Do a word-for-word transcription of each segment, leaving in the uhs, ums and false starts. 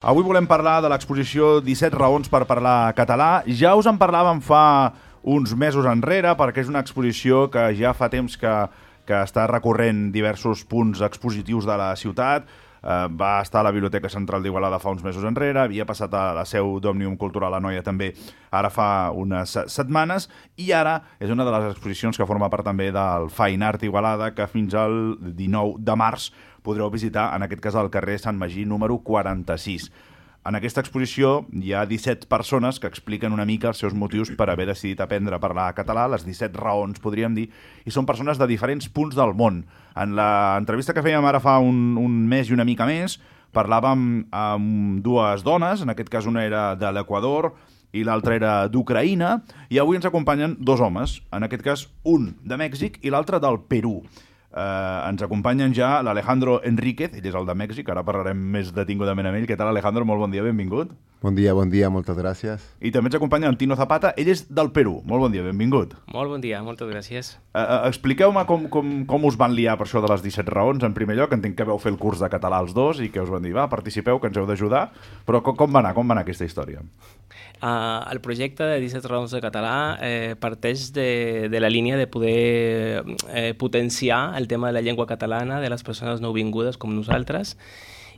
Avui volem parlar de l'exposició disset raons per parlar català. Ja us en parlàvem fa uns mesos enrere, perquè és una exposició que ja fa temps que, que està recorrent diversos punts expositius de la ciutat. Eh, va estar a la Biblioteca Central d'Igualada fa uns mesos enrere, havia passat a la seu d'Òmnium Cultural Anoia també ara fa unes setmanes, i ara és una de les exposicions que forma part també del Fine Art Igualada, que fins al dinou de març podreu visitar, en aquest cas al carrer Sant Magí número quaranta-sis. En aquesta exposició hi ha disset persones que expliquen una mica els seus motius per haver decidit aprendre a parlar català, les disset raons, podríem dir, i són persones de diferents punts del món. En l'entrevista que fèiem ara fa un, un mes i una mica més, parlàvem amb dues dones, en aquest cas una era de l'Equador i l'altra era d'Ucraïna, i avui ens acompanyen dos homes, en aquest cas un de Mèxic i l'altre del Perú. Uh, ens acompanyen ja l'Alejandro Enríquez, ell és el de Mèxic, ara parlarem més detingudament amb ell. Què tal, Alejandro? Molt bon dia, benvingut. Bon dia, bon dia, moltes gràcies. I també ens acompanya en Tino Zapata, ell és del Perú. Molt bon dia, benvingut. Molt bon dia, moltes gràcies. Uh, uh, expliqueu-me com, com, com us van liar per això de les disset raons. En primer lloc, entenc que vau fer el curs de català els dos i que us van dir, va, participeu, que ens heu d'ajudar. Però com, com va anar? Com va anar aquesta història? Uh, el projecte de disset raons de català eh, parteix de, de la línia de poder eh, potenciar el tema de la llengua catalana de les persones nouvingudes com nosaltres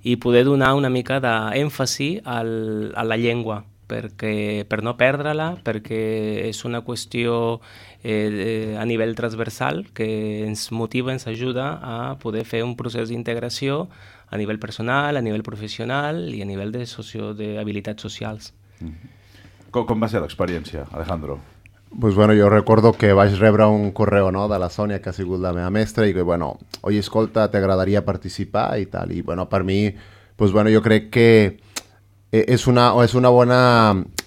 i poder donar una mica d'èmfasi al, a la llengua, perquè, per no perdre-la, perquè és una qüestió eh, a nivell transversal que ens motiva, ens ajuda a poder fer un procés d'integració a nivell personal, a nivell professional i a nivell de socio, d'habilitats socials. Mm-hmm. Com, com va ser l'experiència, Alejandro? Pues bueno, jo recordo que vaig rebre un correu, no, de la Sònia, que ha sigut la meva mestra, i que, bueno, oi, escolta, t'agradaria participar i tal. I, bueno, per mi, pues bueno, jo crec que és una, és una bona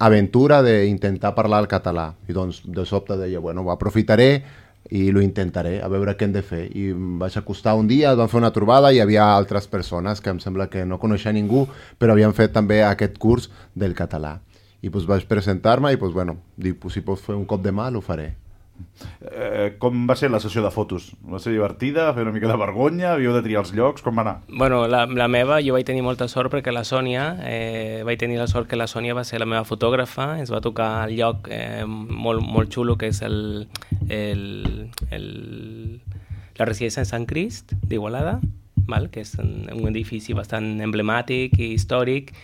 aventura d'intentar parlar el català. I doncs, de sobte deia, bueno, ho aprofitaré i lo intentaré, a veure què hem de fer. I em vaig acostar un dia, vam fer una trobada i hi havia altres persones que em sembla que no coneixia ningú, però havien fet també aquest curs del català. I pues, vaig presentar-me i pues, bueno, dic, pues, si pots fer un cop de mà, ho faré. Eh, com va ser la sessió de fotos? Va ser divertida? Fer una mica de vergonya? Havíeu de triar els llocs? Com va anar? Bueno, la, la meva, jo vaig tenir molta sort perquè la Sònia, eh, vaig tenir la sort que la Sònia va ser la meva fotògrafa, ens va tocar el lloc eh, molt, molt xulo, que és el, el, el, la residència de Sant Crist d'Igualada, val? Que és un, un edifici bastant emblemàtic i històric,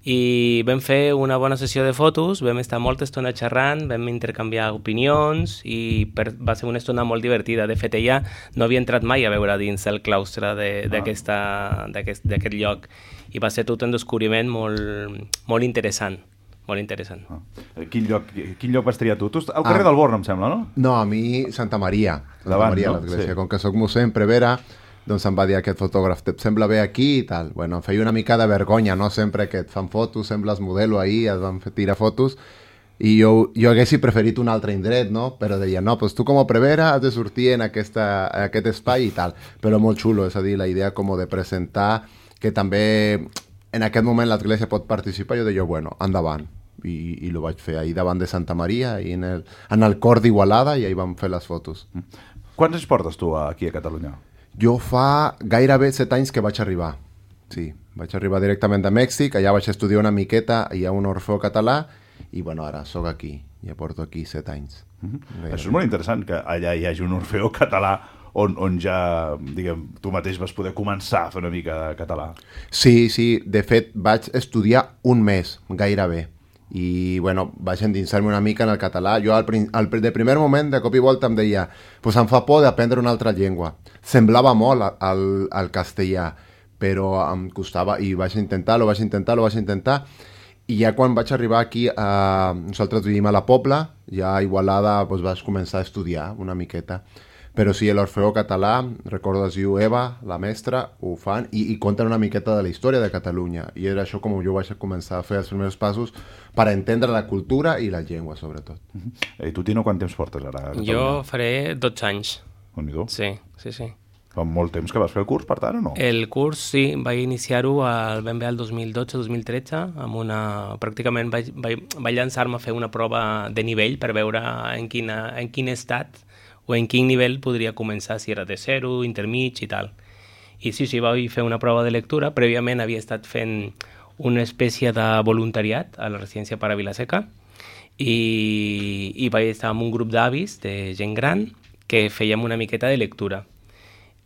i vam fer una bona sessió de fotos, vam estar molta estona xerrant, vam intercanviar opinions i per, va ser una estona molt divertida. De fet, ella no havia entrat mai a veure dins el claustre d'aquest ah. lloc i va ser tot un descobriment molt, molt interessant. Molt interessant. Ah. Quin, lloc, quin lloc vas triar tu? Tu al carrer ah. del Born, em sembla, no? No, a mi Santa Maria. Santa Davant, Maria, no? l'església. Sí. Com que soc mossèn Prevera, doncs em va dir aquest fotògraf, et sembla bé aquí i tal. Bueno, em feia una mica de vergonya, no? Sempre que et fan fotos, sembles modelo ahí, et van fer tirar fotos, i jo, jo haguessi preferit un altre indret, no? Però deia, no, doncs tu com a Prevera has de sortir en, aquesta, en aquest espai i tal. Però molt xulo, és a dir, la idea com de presentar que també en aquest moment l'església pot participar. Jo deia, bueno, endavant. I, i ho vaig fer ahir davant de Santa Maria i en el, en el cor d'Igualada, i ahir vam fer les fotos. Quants anys portes tu aquí a Catalunya? Jo fa gairebé set anys que vaig arribar. Sí, vaig arribar directament de Mèxic, allà vaig estudiar una miqueta, hi ha un Orfeó Català, i bueno, ara sóc aquí, ja porto aquí set anys. Mm-hmm. Això és molt interessant, que allà hi hagi un Orfeó Català on, on ja, diguem, tu mateix vas poder començar a fer una mica de català. Sí, sí, de fet vaig estudiar un mes, gairebé. I bueno, vaig endinsar-me una mica en el català. Jo al, al, de primer moment, de cop i volta, em deia, pues em fa por d'aprendre una altra llengua. Semblava molt al, al castellà, però em costava, i vaig intentar-lo, vaig intentar-lo, vaig intentar, i ja quan vaig arribar aquí, a, nosaltres vivim a la Pobla, ja a Igualada pues, vaig començar a estudiar una miqueta. Però sí, l'Orfeó Català, recordo es diu Eva, la mestra, ho fan, i, i conten una miqueta de la història de Catalunya. I era això com jo vaig començar a fer els primers passos per entendre la cultura i la llengua, sobretot. I tu, Tino, quant temps portes ara a Catalunya? Jo faré dotze anys. On-hi-do? Sí, sí, sí. Fa molt temps que vas fer el curs, per tant, o no? El curs, sí, vaig iniciar-ho ben bé el dos mil dotze dos mil tretze, amb una... pràcticament vaig, vaig, vaig llançar-me a fer una prova de nivell per veure en, quina, en quin estat o en quin nivell podria començar, si era de zero, intermig i tal. I sí, sí, vaig fer una prova de lectura. Prèviament havia estat fent una espècie de voluntariat a la residència per a Vilaseca i, i vaig estar amb un grup d'avis, de gent gran, que fèiem una miqueta de lectura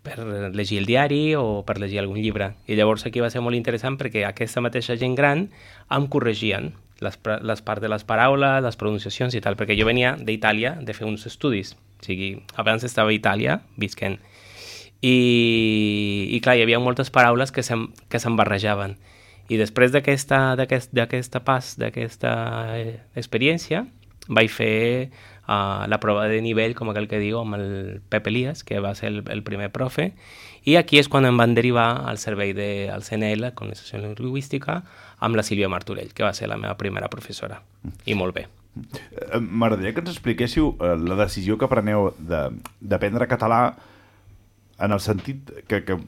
per llegir el diari o per llegir algun llibre. I llavors aquí va ser molt interessant perquè aquesta mateixa gent gran em corregien les, les parts de les paraules, les pronunciacions i tal, perquè jo venia d'Itàlia de fer uns estudis. O sigui, abans estava a Itàlia, visquent. I, i clar, hi havia moltes paraules que se'm, que se'm barrejaven. I després d'aquesta d'aquest, d'aquesta pas, d'aquesta experiència, vaig fer uh, la prova de nivell, com aquell que diu, amb el Pep Elias, que va ser el, el primer profe, i aquí és quan em van derivar al servei del C N L, Colonització Lingüística, amb la Sílvia Martorell, que va ser la meva primera professora. I molt bé. M'agradaria que ens expliquéssiu la decisió que preneu d'aprendre català en el sentit que, que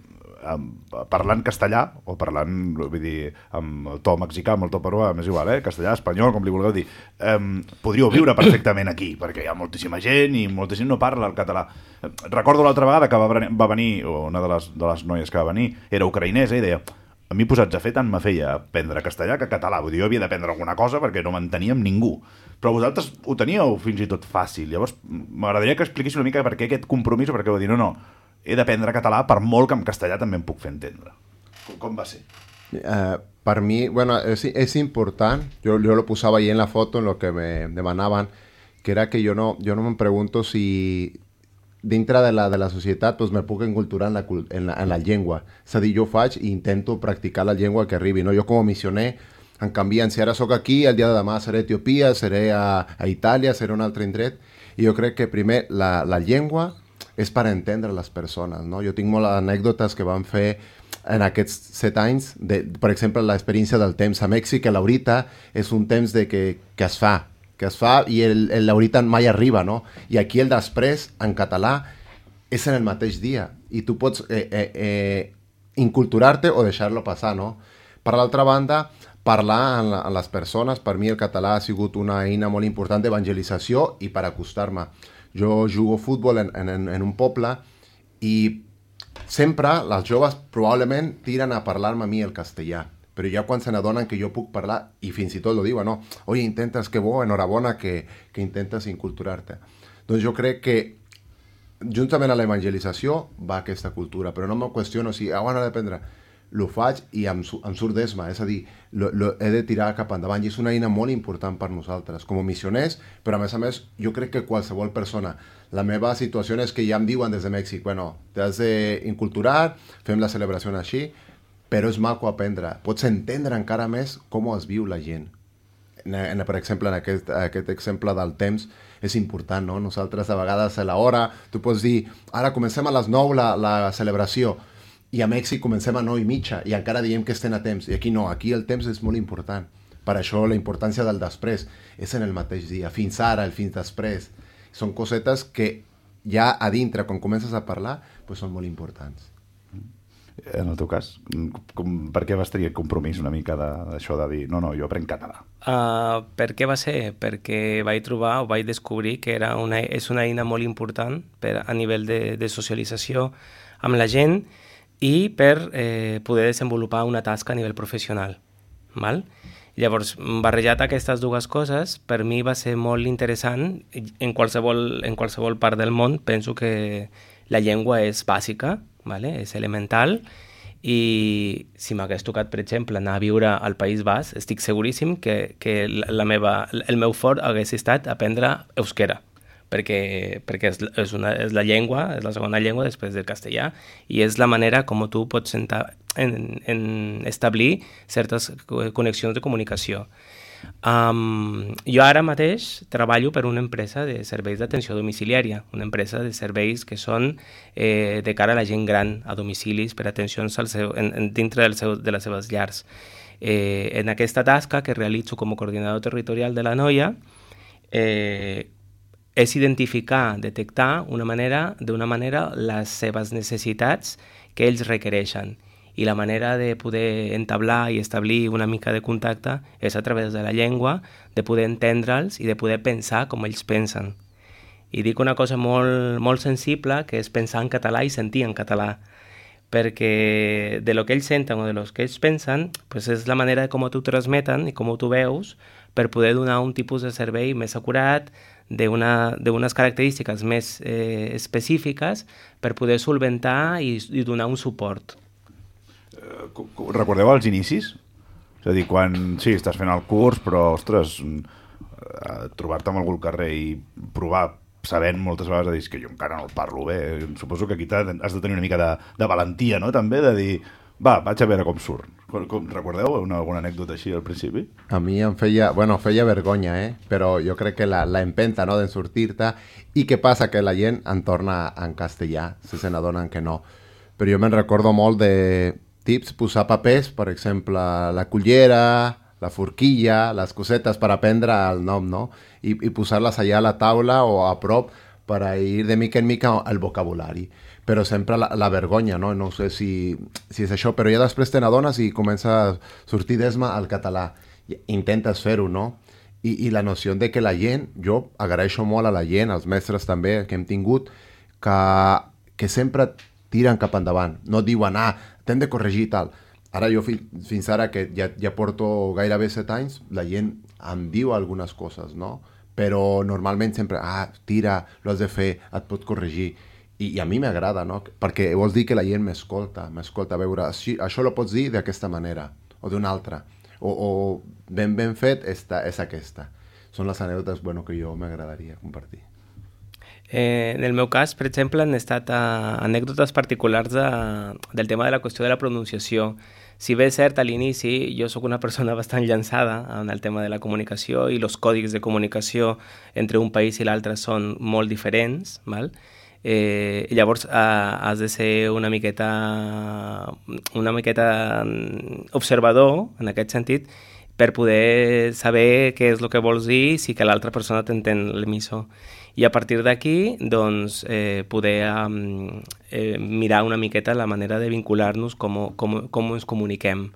parlant castellà, o parlant, vull dir, amb el to mexicà, amb el to peruà, m'és igual, eh? Castellà, espanyol, com li vulgueu dir, eh, podríeu viure perfectament aquí, perquè hi ha moltíssima gent i molta gent no parla el català. Recordo l'altra vegada que va, va venir, una de les, de les noies que va venir, era ucraïnesa, i deia, a mi posats a fer tant me feia aprendre castellà que català, vull dir, jo havia d'aprendre alguna cosa perquè no m'entenia amb ningú. Però vosaltres ho teníeu fins i tot fàcil. Llavors, m'agradaria que expliquéssiu una mica per què aquest compromís, o per què vau dir, no, no, he d'aprendre català per molt que en castellà també em puc fer entendre. Com, com va ser? Uh, per mi, bueno, és, és important, yo, yo lo posaba ahí en la foto, en lo que me demanaban, que era que yo no, yo no me pregunto si dintre de la, de la societat pues, me puc enculturar en la, en, la, en la llengua. És a dir, jo faig i intento practicar la llengua que arribi. No? Jo com a missioner em canvien. Si ara sóc aquí, el dia de demà seré a Etiòpia, seré a, a Itàlia, seré a un altre indret. I jo crec que primer la, la llengua és per entendre les persones. No? Jo tinc moltes anècdotes que van fer en aquests set anys, de, per exemple, l'experiència del temps a Mèxic, que l'horita és un temps de que, que es fa, que es fa i el, el l'horita mai arriba, no? I aquí el després, en català, és en el mateix dia. I tu pots eh, eh, eh, inculturar-te o deixar-lo passar, no? Per l'altra banda, parlar amb, amb les persones, per mi el català ha sigut una eina molt important d'evangelització i per acostar-me. Jo jugo futbol en, en, en un poble i sempre les joves probablement tiren a parlar-me a mi el castellà, però ja quan se n'adonen que jo puc parlar, i fins i tot lo diuen, no, oye, intentes, que bo, enhorabona que, que intentes inculturar-te. Doncs jo crec que juntament a l'evangelització va aquesta cultura, però no me qüestiono si, ah, bueno, dependrà. Lo faig i em, em surt d'esma, és a dir, lo, lo he de tirar cap endavant i és una eina molt important per nosaltres, com a missioners, però a més a més jo crec que qualsevol persona, la meva situació és que ja em diuen des de Mèxic, bueno, t'has d'inculturar, fem la celebració així, però és maco aprendre, pots entendre encara més com es viu la gent. En, en, per exemple, en aquest, aquest exemple del temps és important, no? Nosaltres a vegades a l'hora, tu pots dir, ara comencem a les nou la, la celebració, i a Mèxic comencem a nou i mitja i encara diem que estem a temps. I aquí no, aquí el temps és molt important. Per això la importància del després és en el mateix dia. Fins ara, el fins després. Són cosetes que ja a dintre, quan comences a parlar, pues són molt importants. En el teu cas, com, per què vas tenir el compromís una mica d'això de, de dir no, no, jo aprenc català? Uh, per què va ser? Perquè vaig trobar o vaig descobrir que era una, és una eina molt important per, a nivell de, de socialització amb la gent i per eh, poder desenvolupar una tasca a nivell professional. Val? Llavors, barrejat aquestes dues coses, per mi va ser molt interessant. En qualsevol, en qualsevol part del món penso que la llengua és bàsica, vale? És elemental, i si m'hagués tocat, per exemple, anar a viure al País Basc, estic seguríssim que, que la meva, el meu fort hagués estat aprendre euskera, perquè, perquè és, és, una, és la llengua, és la segona llengua després del castellà, i és la manera com tu pots sentar, en, en establir certes connexions de comunicació. Um, jo ara mateix treballo per una empresa de serveis d'atenció domiciliària, una empresa de serveis que són eh, de cara a la gent gran, a domicilis, per atencions al seu, en, en, dintre del seu, de les seves llars. Eh, en aquesta tasca que realitzo com a coordinador territorial de la noia, eh, és identificar, detectar una manera, d'una manera les seves necessitats que ells requereixen. I la manera de poder entablar i establir una mica de contacte és a través de la llengua, de poder entendre'ls i de poder pensar com ells pensen. I dic una cosa molt, molt sensible, que és pensar en català i sentir en català, perquè de lo que ells senten o de lo que ells pensen pues és la manera com t'ho transmeten i com t'ho veus per poder donar un tipus de servei més acurat, d'unes característiques més eh, específiques per poder solventar i, i donar un suport. Eh, recordeu els inicis? És a dir, quan sí, estàs fent el curs, però, ostres, eh, trobar-te amb algú al carrer i provar, sabent moltes vegades de dir que jo encara no el parlo bé, suposo que aquí has de tenir una mica de, de valentia, no?, també, de dir, va, vaig a veure com surt. Com, com, recordeu una, alguna anècdota així al principi? A mi em feia, bueno, feia vergonya, eh? Però jo crec que la, la empenta, no?, d'en sortir-te. I què passa? Que la gent en torna en castellà, si se n'adonen que no. Però jo me'n recordo molt de tips, posar papers, per exemple, la cullera, la forquilla, les cosetes per aprendre el nom, no? I, i posar-les allà a la taula o a prop per a ir de mica en mica el vocabulari. Però sempre la, la vergonya, no? No sé si, si és això, però ja després te n'adones i comença a sortir d'esma al català. I intentes fer-ho, no? I, I la noció de que la gent, jo agraeixo molt a la gent, als mestres també que hem tingut, que, que sempre tiren cap endavant. No diuen, ah, t'hem de corregir i tal. Ara jo fi, fins ara, que ja, ja porto gairebé set anys, la gent em diu algunes coses, no? Però normalment sempre, ah, tira, lo has de fer, et pot corregir. I, i a mi m'agrada, no? Perquè vols dir que la gent m'escolta, m'escolta a veure, això, això lo pots dir d'aquesta manera, o d'una altra, o, o ben ben fet esta, és aquesta. Són les anècdotes, bueno, que jo m'agradaria compartir. Eh, en el meu cas, per exemple, han estat uh, anècdotes particulars de, del tema de la qüestió de la pronunciació. Si bé és cert, a l'inici jo sóc una persona bastant llançada en el tema de la comunicació i els còdics de comunicació entre un país i l'altre són molt diferents, val? Eh, llavors eh, has de ser una miqueta una miqueta observador en aquest sentit per poder saber què és el que vols dir si que l'altra persona t'entén l'emissor. I a partir d'aquí doncs, eh, poder um, eh, mirar una miqueta la manera de vincular-nos, com, com, com ens comuniquem.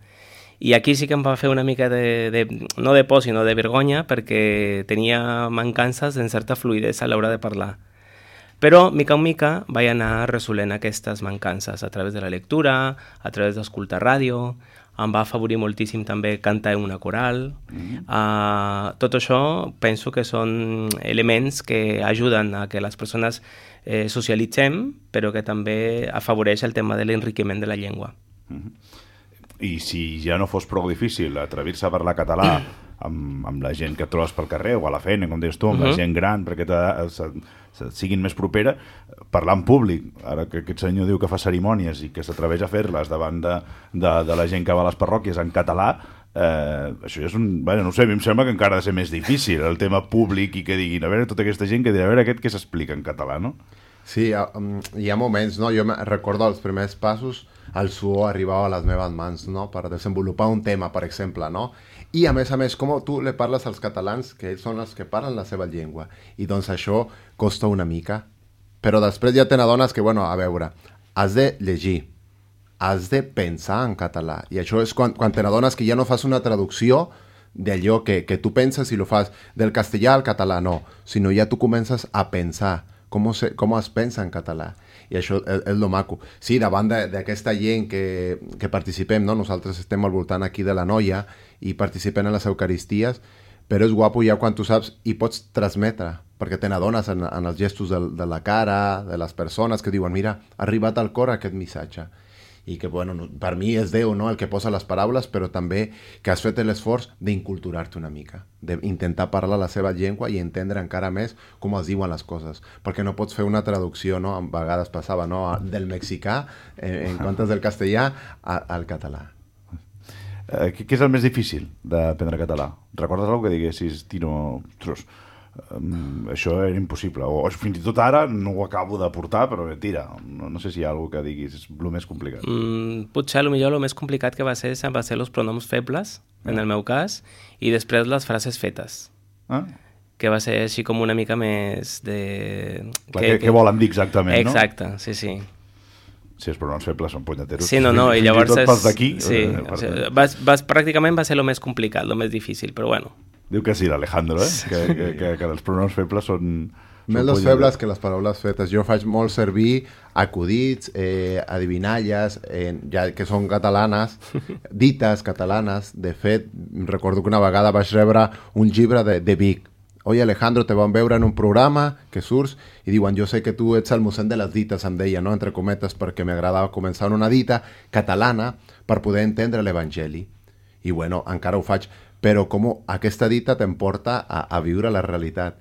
I aquí sí que em va fer una mica de, de no de por, sinó de vergonya, perquè tenia mancances en certa fluïdesa a l'hora de parlar. Però, mica en mica, vaig anar resolent aquestes mancances a través de la lectura, a través d'escoltar ràdio, em va afavorir moltíssim també cantar en una coral. Mm-hmm. Uh, tot això penso que són elements que ajuden a que les persones eh, socialitzem, però que també afavoreix el tema de l'enriquiment de la llengua. Mm-hmm. I si ja no fos prou difícil atrevir-se a parlar català amb, amb la gent que et trobes pel carrer o a la feina, com deies tu, amb uh-huh. la gent gran, perquè te, se, se, siguin més propera, parlar en públic, ara que aquest senyor diu que fa cerimònies i que s'atreveix a fer-les davant de, de, de la gent que va a les parròquies en català, eh, això ja és un... Bueno, no sé, a mi em sembla que encara ha de ser més difícil el tema públic i que diguin, a veure, tota aquesta gent que dirà, a veure aquest que s'explica en català, no? Sí, um, hi ha moments, no? Jo recordo els primers passos, el suor arribava a les meves mans, no?, per desenvolupar un tema, per exemple, no? I, a més a més, com tu le parles als catalans, que ells són els que parlen la seva llengua, i doncs això costa una mica. Però després ja te n'adones que, bueno, a veure, has de llegir, has de pensar en català, i això és quan, quan te n'adones que ja no fas una traducció d'allò que, que tu penses i lo fas del castellà al català, no, sinó ja tu comences a pensar com, se, com es pensa en català. I això és, és lo maco. Sí, davant d'aquesta gent que, que participem, no? Nosaltres estem al voltant aquí de la Noia i participem en les Eucaristies, però és guapo ja quan tu saps i pots transmetre, perquè te n'adones en, en els gestos de, de la cara, de les persones que diuen, mira, ha arribat al cor aquest missatge. I que, bueno, per mi és Déu, no?, el que posa les paraules, però també que has fet l'esforç d'inculturar-te una mica, d'intentar parlar la seva llengua i entendre encara més com es diuen les coses, perquè no pots fer una traducció, no?, a vegades passava, no?, del mexicà, eh, en comptes del castellà, a, al català. Eh, què és el més difícil d'aprendre català? Recordes alguna que diguessis, Tino, ostres, Um, això era impossible, o, o fins i tot ara no ho acabo de portar, però tira, no, no sé si hi ha alguna que diguis és el més complicat. Mm, potser potser el més complicat que va ser va ser els pronoms febles, ah. en el meu cas, i després les frases fetes, ah. que va ser així com una mica més de... Clar, que, que, que volen dir exactament, exacte, no? Exacte, sí, sí. Si els pronoms febles són punyeteros, sí, no, no, i llavors és... pels d'aquí. Sí, eh, o sigui, va, va, pràcticament va ser el més complicat, el més difícil, però bueno. Diu que sí, l'Alejandro, eh? Sí. Que, que, que, que els pronoms febles són, Més les febles que les paraules fetes. Jo faig molt servir acudits, eh, adivinalles, eh, ja que són catalanes, dites catalanes. De fet, recordo que una vegada vaig rebre un llibre de, de Vic. Oye, Alejandro, te van veure en un programa que surts i diuen, jo sé que tu ets el mossèn de les dites, em deia, no? Entre cometes, perquè m'agradava començar una dita catalana per poder entendre l'Evangeli. I bueno, encara ho faig, però com aquesta dita t'emporta a, a viure la realitat.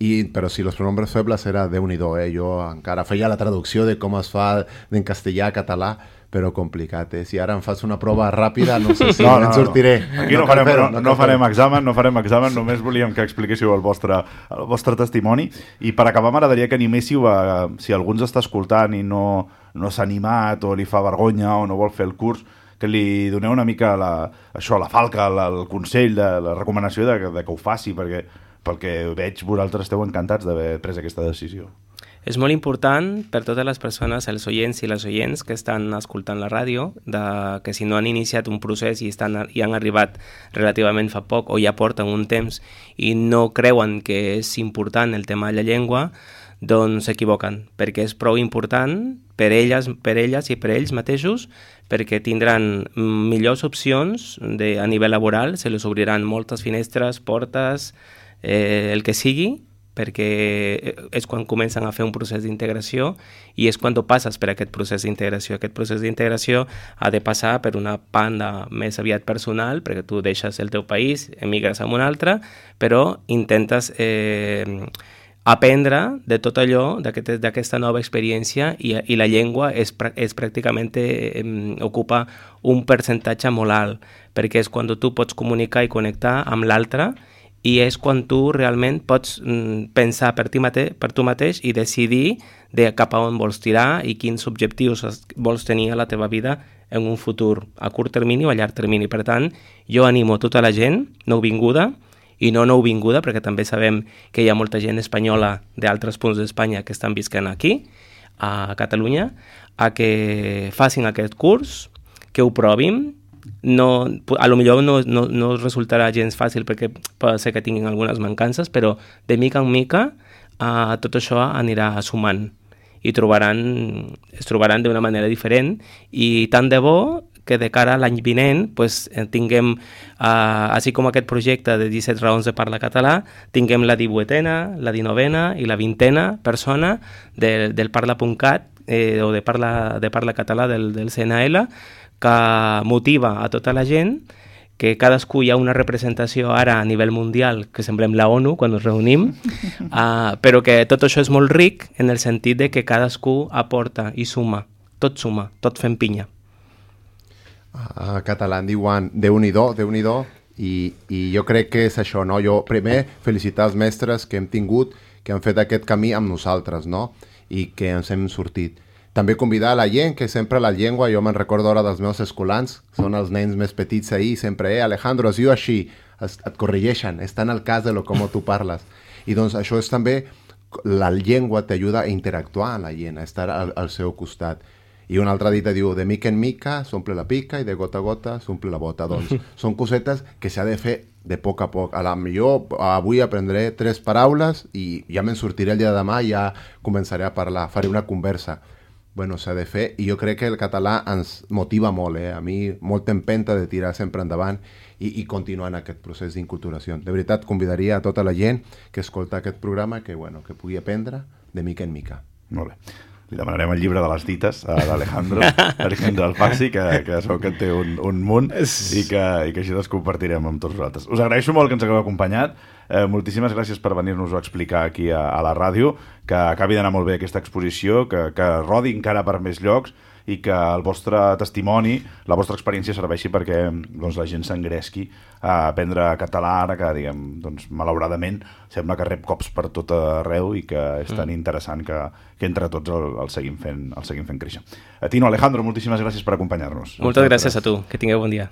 I, però si los pronombres febles era Déu-n'hi-do, eh? Jo encara feia la traducció de com es fa d'en castellà a català, però complicat, eh? Si ara em fas una prova ràpida, no sé si no, no, en sortiré. No. Aquí no, no, farem, no, no, no farem examen, no farem examen, només volíem que expliquéssiu el vostre, el vostre testimoni. I per acabar m'agradaria que animéssiu a, si algú ens està escoltant i no, no s'ha animat o li fa vergonya o no vol fer el curs, que li doneu una mica la, això, la falca, la, el consell, de, la recomanació de, de que ho faci, perquè pel que veig vosaltres esteu encantats d'haver pres aquesta decisió. És molt important per totes les persones, els oients i les oients que estan escoltant la ràdio, de, que si no han iniciat un procés i, estan, i han arribat relativament fa poc o ja porten un temps i no creuen que és important el tema de la llengua, doncs s'equivoquen, perquè és prou important per elles, per elles i per ells mateixos, perquè tindran millors opcions de, a nivell laboral, se les obriran moltes finestres, portes, eh, el que sigui, perquè és quan comencen a fer un procés d'integració i és quan tu passes per aquest procés d'integració. Aquest procés d'integració ha de passar per una banda més aviat personal, perquè tu deixes el teu país, emigres a un altre, però intentes eh, aprendre de tot allò, d'aquesta nova experiència i, i la llengua és, és pràcticament eh, ocupa un percentatge molt alt, perquè és quan tu pots comunicar i connectar amb l'altre i és quan tu realment pots mm, pensar per, ti mate per tu mateix i decidir de cap a on vols tirar i quins objectius vols tenir a la teva vida en un futur a curt termini o a llarg termini. Per tant, jo animo tota la gent nouvinguda i no nouvinguda, perquè també sabem que hi ha molta gent espanyola d'altres punts d'Espanya que estan visquent aquí, a Catalunya, a que facin aquest curs, que ho provin. No, a lo millor no, no, no resultarà gens fàcil perquè pot ser que tinguin algunes mancances, però de mica en mica uh, tot això anirà sumant i trobaran, es trobaran d'una manera diferent i tant de bo que de cara a l'any vinent pues, tinguem, uh, així com aquest projecte de disset raons de parlar català, tinguem la divuitena, la dinovena i la vintena persona de, del parla punt cat eh, o de parla, de parla català del, del C N L, que motiva a tota la gent, que cadascú hi ha una representació ara a nivell mundial, que semblem la ONU quan ens reunim, uh, però que tot això és molt ric en el sentit de que cadascú aporta i suma, tot suma, tot fem pinya. A català en diuen Déu-n'hi-do, Déu-n'hi-do, i, i jo crec que és això, no? Jo primer felicitar els mestres que hem tingut, que han fet aquest camí amb nosaltres, no? I que ens hem sortit. També convidar a la gent, que sempre la llengua, jo me'n recordo ara dels meus escolans, són els nens més petits ahir, sempre, eh, Alejandro, es diu així, es, et corregeixen, està en el cas de lo com tu parles. I doncs això és també, la llengua t'ajuda a interactuar amb la gent, a estar al, al seu costat. I una altra dita diu, de mica en mica s'omple la pica i de gota a gota s'omple la bota. Doncs són cosetes que s'ha de fer de poc a poc. A la millor avui aprendré tres paraules i ja me'n sortiré el dia de demà i ja començaré a parlar, faré una conversa. Bueno, s'ha de fer, i jo crec que el català ens motiva molt, eh? A mi molta empenta de tirar sempre endavant i, i continuar en aquest procés d'inculturació. De veritat, convidaria a tota la gent que escolta aquest programa que, bueno, que pugui aprendre de mica en mica. Molt bé. Li demanarem el llibre de les dites a l'Alejandro, Alejandro Alfaxi, que, que segur que en té un, un munt i que, i que així les compartirem amb tots vosaltres. Us agraeixo molt que ens hagueu acompanyat. Eh, moltíssimes gràcies per venir-nos-ho a explicar aquí a, a la ràdio, que acabi d'anar molt bé aquesta exposició, que, que rodi encara per més llocs i que el vostre testimoni, la vostra experiència serveixi perquè doncs, la gent s'engresqui a aprendre català ara que, diguem, doncs, malauradament sembla que rep cops per tot arreu i que és tan interessant que, que entre tots el, el, seguim fent, el seguim fent créixer. A Tino, Alejandro, moltíssimes gràcies per acompanyar-nos. Moltes gràcies a tu, que tingueu bon dia.